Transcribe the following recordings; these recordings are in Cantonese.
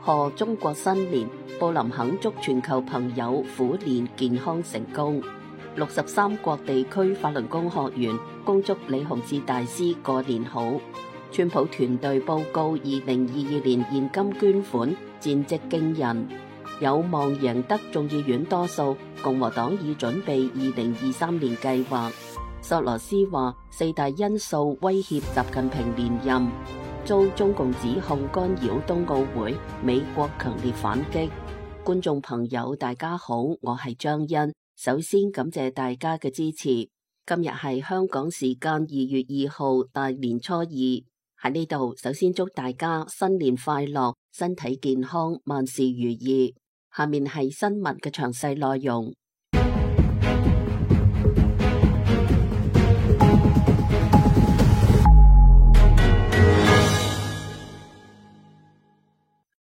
賀中國新年，布林肯祝全球朋友虎年健康成功。63國地區法輪功學員恭祝李洪志大師過年好。川普團隊報告2022年現金捐款戰績驚人，有望贏得眾議院多數，共和黨已準備2023年計劃。索羅斯話4大因素威脅習近平連任，遭中共指控干擾冬奧會，美國強烈反擊。觀眾朋友大家好，我係張欣，首先感謝大家嘅支持。今日係香港時間2月2號大年初二，喺呢度首先祝大家新年快樂，身體健康，萬事如意。下面係新聞嘅詳細內容。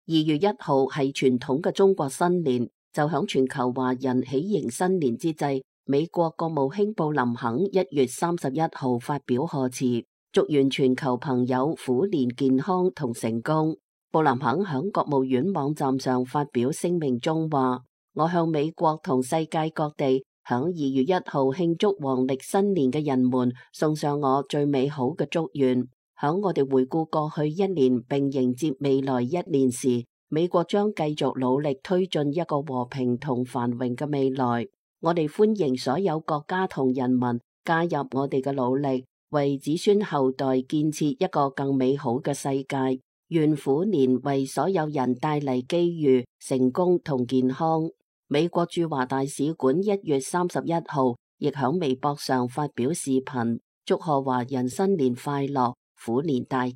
2月1號係傳統嘅中國新年，就響全球華人喜迎新年之際，美國國務卿布林肯1月31號發表賀詞，祝願全球朋友虎年健康同成功。布林肯響國務院網站上發表聲明中話：我向美國同世界各地響2月1號慶祝黃曆新年嘅人們送上我最美好嘅祝願。響我哋回顧過去一年並迎接未來一年時，美國將繼續努力推進一個和平同繁榮嘅未來。我哋歡迎所有國家同人民加入我哋嘅努力，為子孫後代建設一個更美好嘅世界。願虎年為所有人帶嚟機遇、成功同健康。美國駐華大使館1月31號亦響微博上發表視頻，祝賀華人新年快樂，虎年大吉。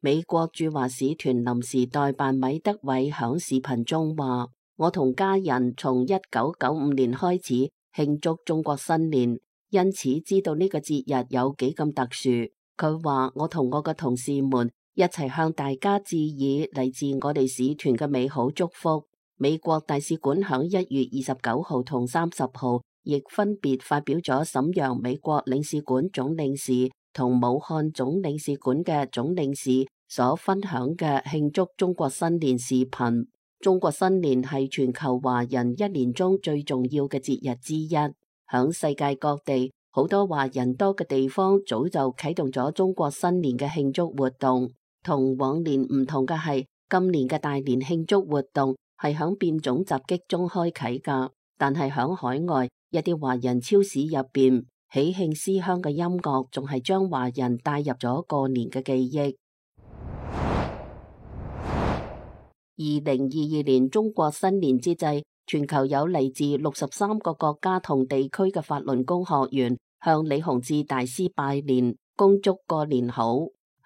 美國駐華使團臨時代辦米德偉響視頻中話：我同家人從1995年開始慶祝中國新年，因此知道呢個節日有幾咁特殊。佢話：我同我嘅同事們一齊向大家致以嚟自我哋使團嘅美好祝福。美國大使館響1月29號同30號亦分別發表咗瀋陽美國領事館總領事同武漢總領事館嘅總領事所分享嘅慶祝中國新年視頻。中國新年係全球華人一年中最重要嘅節日之一，響世界各地好多華人多嘅地方早就啟動咗中國新年嘅慶祝活動。同往年唔同嘅係，今年嘅大年慶祝活動係響變種襲擊中開啟噶，但係響海外一啲華人超市入邊，喜慶思鄉嘅音樂仲係將華人帶入咗過年嘅記憶。2022年中國新年之際，全球有嚟自63個國家同地區嘅法輪功學員向李洪志大師拜年，恭祝過年好。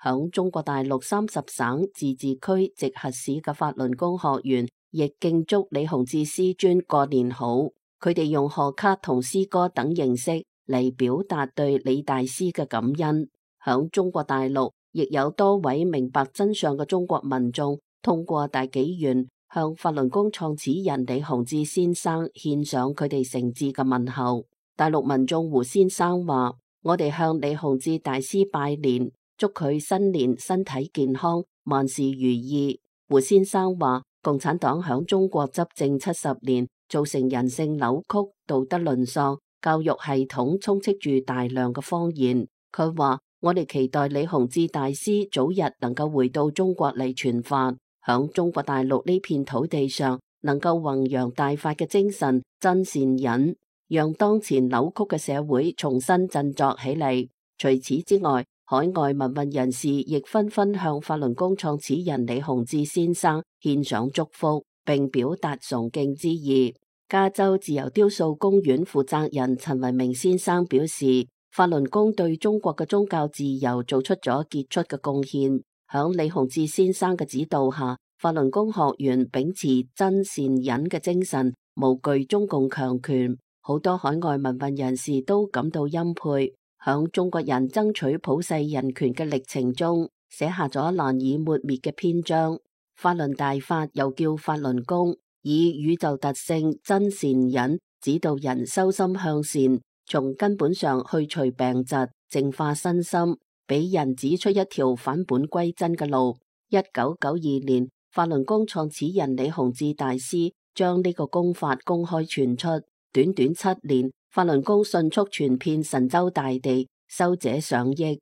響中國大陸30省自治區直轄市嘅法輪功學員亦敬祝李洪志師尊過年好。佢哋用賀卡同詩歌等形式嚟表達對李大師嘅感恩。響中國大陸亦有多位明白真相嘅中國民眾通過大紀元向法輪功創始人李洪志先生獻上佢哋誠摯嘅問候。大陸民眾胡先生話：我哋向李洪志大師拜年，祝佢新年身體健康，萬事如意。胡先生話：共產黨響中國執政70年，造成人性扭曲、道德淪喪，教育系統充斥住大量嘅謊言。佢話：我哋期待李洪志大師早日能夠回到中國嚟傳法，響中國大陸呢片土地上能夠弘揚大法嘅精神、真善忍，讓當前扭曲嘅社會重新振作起嚟。除此之外，海外民運人士亦紛紛向法輪功創始人李洪志先生獻上祝福，並表達崇敬之意。加州自由雕塑公園負責人陳維明先生表示，法輪功對中國嘅宗教自由做出咗傑出嘅貢獻。響李洪志先生嘅指導下，法輪功學員秉持真善忍嘅精神，無懼中共強權。好多海外民運人士都感到欽佩。響中國人爭取普世人權嘅歷程中，寫下咗難以抹滅嘅篇章。法輪大法又叫法輪功，以宇宙特性真善忍指導人修心向善，從根本上去除病疾，淨化身心，俾人指出一條返本歸真嘅路。1992年，法輪功創始人李洪志大師將呢個功法公開傳出，短短7年，法輪功迅速傳遍神州大地，修者上億。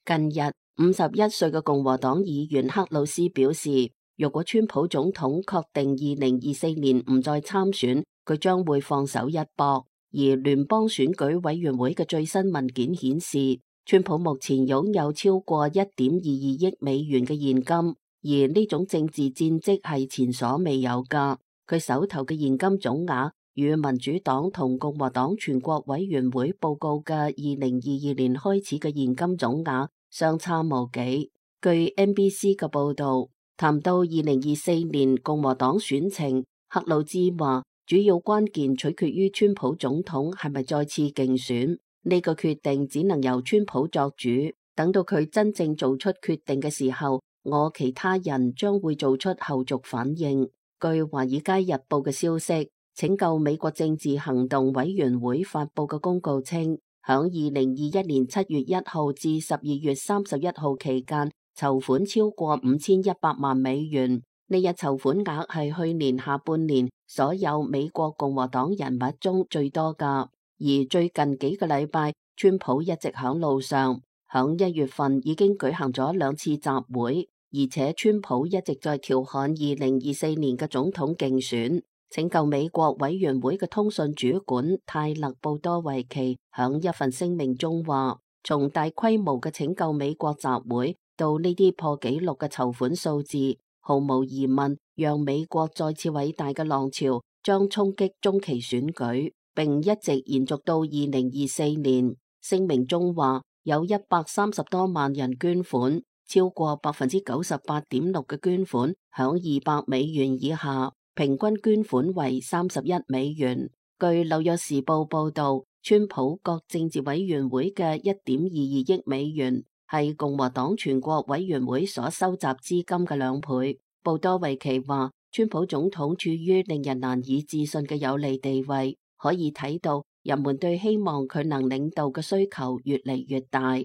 近日，51歲嘅共和黨議員克魯斯表示，若果川普總統確定2024年唔再參選，佢將會放手一搏。而聯邦選舉委員會嘅最新文件顯示，川普目前擁有超過1.22億美元嘅現金，而呢種政治戰績係前所未有㗎。佢手頭嘅現金總額與民主黨同共和黨全國委員會報告嘅2022年開始嘅現金總額相差無幾。據 NBC 嘅報導，談到2024年共和黨選情，克魯茲話，主要關鍵取決於川普總統係咪再次競選，呢個決定只能由川普作主。等到佢真正做出決定嘅時候，我其他人將會做出後續反應。據華爾街日報嘅消息，拯救美國政治行動委員會發佈嘅公告稱，響2021年7月1號至12月31號期間，籌款超過5100萬美元。呢日籌款額係去年下半年所有美國共和黨人物中最多㗎。而最近幾個禮拜，川普一直響路上，響1月份已經舉行咗2次集會，而且川普一直在調侃2024年嘅總統競選。拯救美國委員會嘅通訊主管泰勒布多維奇響一份聲明中話，從大規模嘅拯救美國集會到呢啲破紀錄嘅籌款數字，毫無疑問，讓美國再次偉大嘅浪潮將衝擊中期選舉，並一直延續到2024年。聲明中話，有130多萬人捐款，超過98.6%嘅捐款響200美元以下，平均捐款為31美元。據紐約時報報道，川普各政治委員會嘅1.22億美元係共和黨全國委員會所收集資金嘅2倍。布多維奇話，川普總統處於令人難以置信嘅有利地位，可以睇到人們對希望佢能領導嘅需求越嚟越大。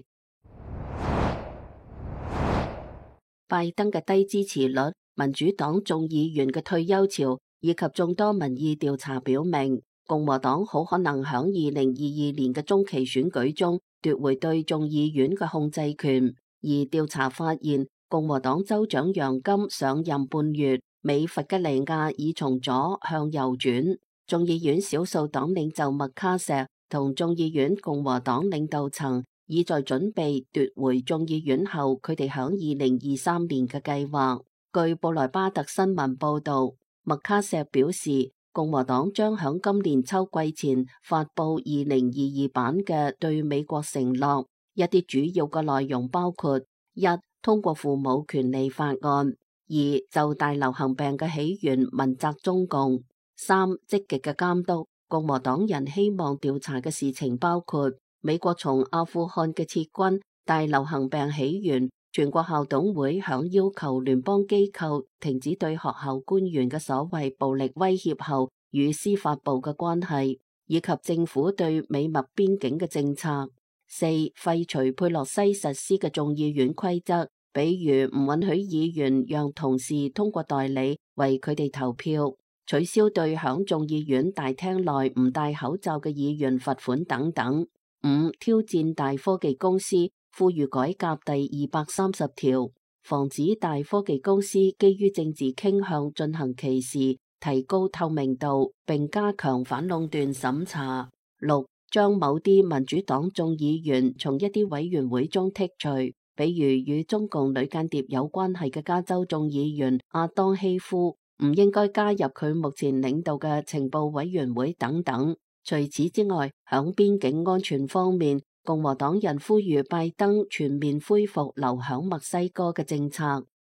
拜登嘅低支持率、民主黨眾議員嘅退休潮以及眾多民意調查表明，共和黨好可能響2022年嘅中期選舉中奪回對眾議院嘅控制權。而調查發現，共和黨州長楊金上任半月，美弗吉尼亞已從左向右轉。眾議院少數黨領袖麥卡錫同眾議院共和黨領導層已在準備奪回眾議院後佢哋響2023年嘅計劃。據布萊巴特新聞報道，麥卡錫表示，共和黨將響今年秋季前發布2022版嘅對美國承諾，一啲主要嘅內容包括：一、通過父母權利法案；二、就大流行病嘅起源問責中共；三、積極嘅監督。共和黨人希望調查嘅事情包括美國從阿富汗嘅撤軍、大流行病起源、全國校董會響要求聯邦機構停止對學校官員嘅所謂暴力威脅後與司法部嘅關係，以及政府對美墨邊境嘅政策。四、廢除佩洛西實施嘅眾議院規則，比如唔允許議員讓同事通過代理為佢哋投票，取消對響眾議院大廳內唔戴口罩嘅議員罰款等等。五、挑戰大科技公司，呼籲改革第230條，防止大科技公司基於政治傾向進行歧視，提高透明度，並加強反壟斷審查。六、將某啲民主黨眾議員從一啲委員會中剔除，比如與中共女間諜有關係嘅加州眾議員阿當希夫，唔應該加入佢目前領導嘅情報委員會等等。除此之外，響邊境安全方面，共和黨人呼籲拜登全面恢復留響墨西哥嘅政策。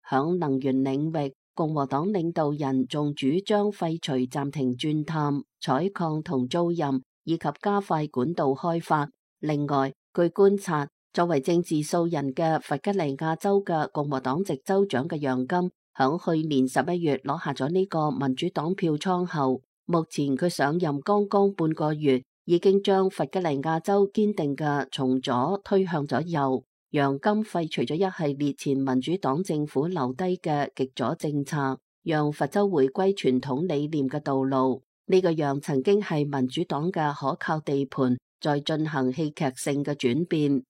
響能源領域，共和黨領導人仲主張廢除暫停鑽探、採礦同租賃，以及加快管道開發。另外，據觀察，作為政治素人嘅弗吉尼亞州嘅共和黨籍州長嘅楊金，響去年11月攞下咗呢個民主黨票倉後，目前佢上任剛剛半個月，已經將弗吉尼亞州堅定嘅從左推向咗右。楊金廢除咗一系列前民主黨政府留低嘅極左政策，讓佛州回歸傳統理念嘅道路。呢個讓曾經係民主黨嘅可靠地盤，在進行戲劇性嘅轉變。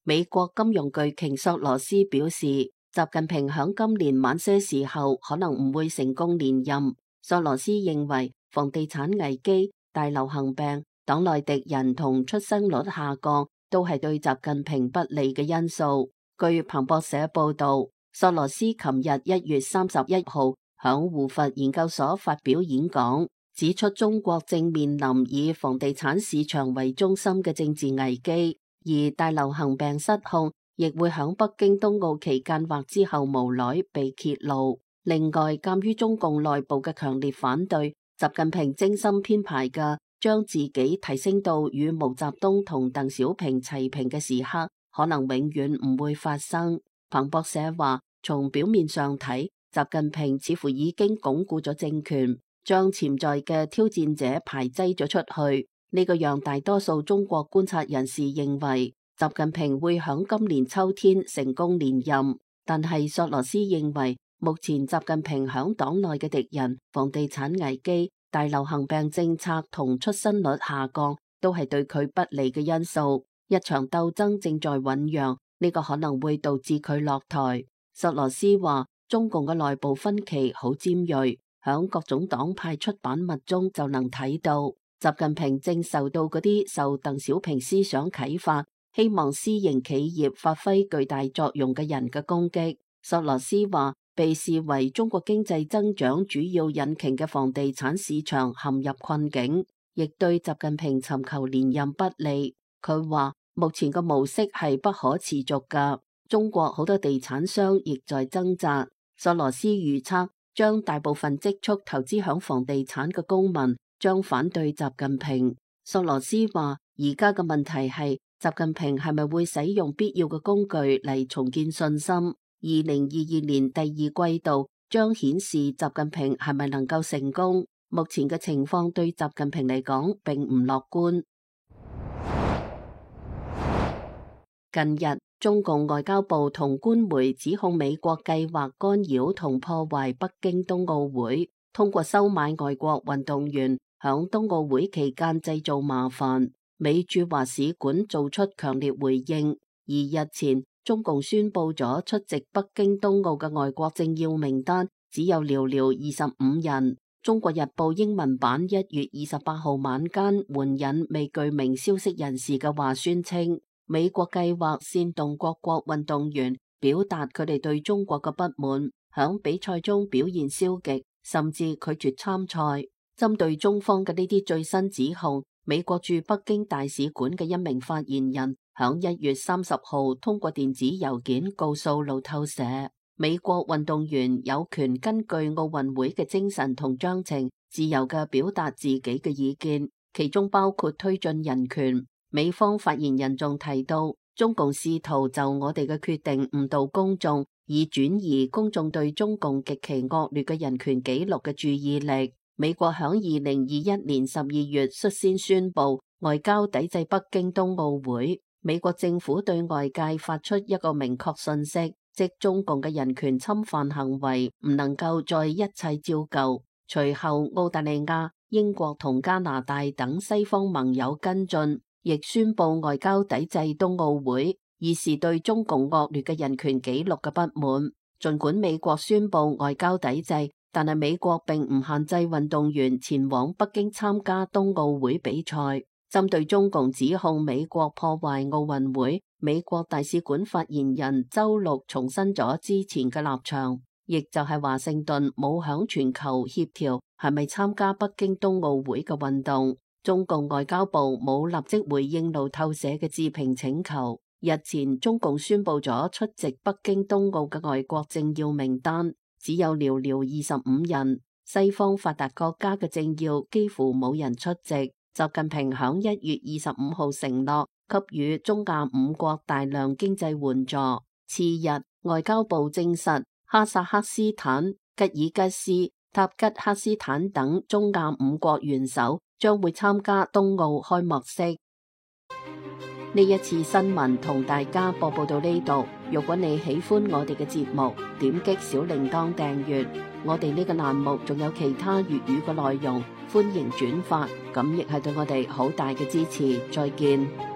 美國金融巨鯨索羅斯表示，習近平響今年晚些時候可能唔會成功連任。索羅斯認為，房地產危機、大流行病、黨內敵人同出生率下降都係對習近平不利嘅因素。據彭博社報道，索羅斯琴日1月31號響胡佛研究所發表演講，指出中國正面臨以房地產市場為中心嘅政治危機，而大流行病失控亦會響北京冬奧期間或之後無奈被揭露。另外，鑒於中共內部嘅強烈反對，習近平精心編排嘅將自己提升到與毛澤東同鄧小平齊平嘅時刻，可能永遠唔會發生。彭博社話，從表面上睇，習近平似乎已經鞏固咗政權，將潛在嘅挑戰者排擠咗出去。呢個讓大多數中國觀察人士認為，習近平會響今年秋天成功連任。但係索羅斯認為，目前習近平響黨內嘅敵人、房地產危機、大流行病政策同出生率下降，都係對佢不利嘅因素。一場鬥爭正在醞釀，呢個可能會導致佢落台。索羅斯話，中共嘅內部分歧好尖銳，響各種黨派出版物中就能睇到。習近平正受到嗰啲受鄧小平思想啟發，希望私營企業發揮巨大作用嘅人嘅攻擊。索羅斯話，被視為中國經濟增長主要引擎嘅房地產市場陷入困境，亦對習近平尋求連任不利。佢話，目前個模式係不可持續㗎。中國好多地產商亦在掙扎。索羅斯預測，將大部分積蓄投資響房地產嘅公民將反對習近平。索羅斯話，而家嘅問題係習近平係咪會使用必要嘅工具嚟重建信心？2022年第二季度將顯示習近平係咪能夠成功。目前嘅情況對習近平嚟講並唔樂觀。近日，中共外交部同官媒指控美國計劃干擾同破壞北京冬奧會，通過收買外國運動員響冬奧會期間製造麻煩。美駐華使館做出強烈回應，而日前中共宣布咗出席北京冬奧嘅外國政要名單只有寥寥25人。中國日報英文版1月28號晚間援引未具名消息人士嘅話宣稱，美國計劃煽動各國運動員表達佢哋對中國嘅不滿，響比賽中表現消極，甚至拒絕參賽。針對中方嘅呢啲最新指控，美國駐北京大使館嘅一名發言人響1月30號通過電子郵件告訴路透社，美國運動員有權根據奧運會嘅精神同章程，自由嘅表達自己嘅意見，其中包括推進人權。美方發言人仲提到，中共試圖就我哋嘅決定誤導公眾，以轉移公眾對中共極其惡劣嘅人權紀錄嘅注意力。美國響2021年12月率先宣布外交抵制北京冬奧會。美國政府對外界發出一個明確信息，即中共嘅人權侵犯行為唔能夠再一切照舊。隨後，澳大利亞、英國同加拿大等西方盟友跟進，亦宣布外交抵制冬奧會，以示對中共惡劣嘅人權紀錄嘅不滿。儘管美國宣布外交抵制，但係美國並唔限制運動員前往北京參加冬奧會比賽。針對中共指控美國破壞奧運會，美國大使館發言人周六重申咗之前嘅立場，亦就係華盛頓冇響全球協調係咪參加北京冬奧會嘅運動。中共外交部冇立即回應路透社嘅置評請求。日前，中共宣布咗出席北京冬奧嘅外國政要名單，只有寥寥25人。西方發達國家嘅政要幾乎冇人出席。習近平響1月25號承諾給予中亞5國大量經濟援助。次日，外交部證實哈薩克斯坦、吉爾吉斯、塔吉克斯坦等中亞5國元首將會參加冬奧開幕式。呢一次新聞同大家播報到呢度。如果你喜歡我哋嘅節目，點擊小鈴鐺訂閱。我哋呢個欄目仲有其他粵語嘅內容，歡迎轉發，咁亦係對我哋好大嘅支持。再見。